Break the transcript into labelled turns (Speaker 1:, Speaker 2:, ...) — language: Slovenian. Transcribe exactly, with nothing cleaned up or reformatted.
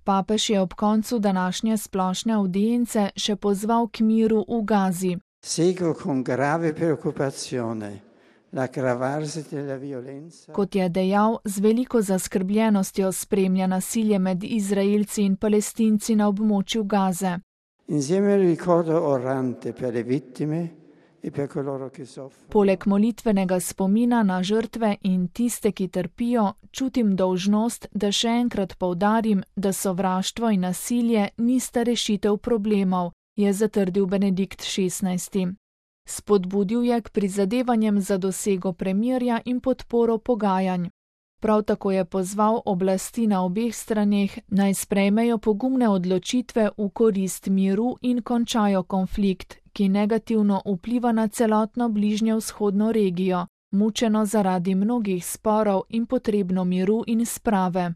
Speaker 1: Papež je ob koncu današnje splošne avdience še pozval k miru v Gazi.
Speaker 2: Seguo con grave preoccupazione l'aggravarsi della violenza.
Speaker 1: Kot je dejal, z veliko zaskrbljenostjo spremlja nasilje med Izraelci in Palestinci na območju Gaze.
Speaker 2: Insieme al ricordo orante per le vittime e per coloro che soffrono.
Speaker 1: Poleg molitvenega spomina na žrtve in tiste, ki trpijo, čutim dolžnost, da še enkrat poudarim, da sovraštvo in nasilje nista rešitev problemov, je zatrdil Benedikt šestnajsti. Spodbudil je k prizadevanjem za dosego premirja in podporo pogajanj. Prav tako je pozval oblasti na obeh straneh, naj sprejmejo pogumne odločitve v korist miru in končajo konflikt, ki negativno vpliva na celotno bližnjevzhodno regijo, mučeno zaradi mnogih sporov in potrebno miru in sprave.